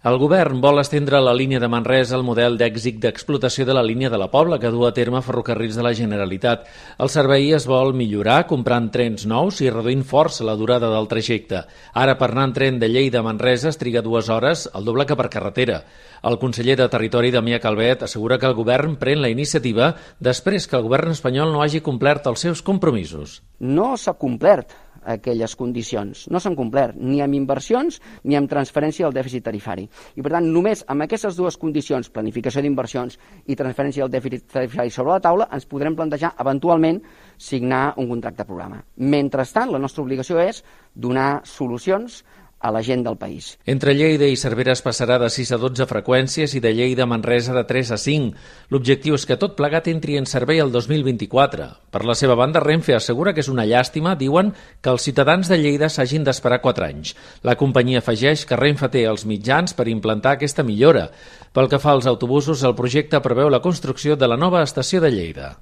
El govern vol estendre la línia de Manresa al model d'èxit d'explotació de la línia de la Pobla que du a terme Ferrocarrils de la Generalitat. El servei es vol millorar comprant trens nous i reduint força la durada del trajecte. Ara, per anar en tren de Lleida a Manresa es triga 2 hores, el doble que per carretera. El conseller de Territori, Damià Calvet, assegura que el govern pren la iniciativa després que el govern espanyol no hagi complert els seus compromisos. No s'ha complert aquelles condicions. No s'han complert ni amb inversions ni amb transferència del dèficit tarifari. I per tant, només amb aquestes dues condicions, planificació d'inversions i transferència del dèficit tarifari sobre la taula, ens podrem plantejar eventualment signar un contracte programa. Mentrestant, la nostra obligació és donar solucions a la gent del país. Entre Lleida i Cervera es passarà de 6 a 12 freqüències i de Lleida a Manresa de 3 a 5. L'objectiu és que tot plegat entri en servei el 2024. Per la seva banda, Renfe assegura que és una llàstima, diuen, que els ciutadans de Lleida s'hagin d'esperar 4 anys. La companyia afegeix que Renfe té els mitjans per implantar aquesta millora. Pel que fa als autobusos, el projecte preveu la construcció de la nova estació de Lleida.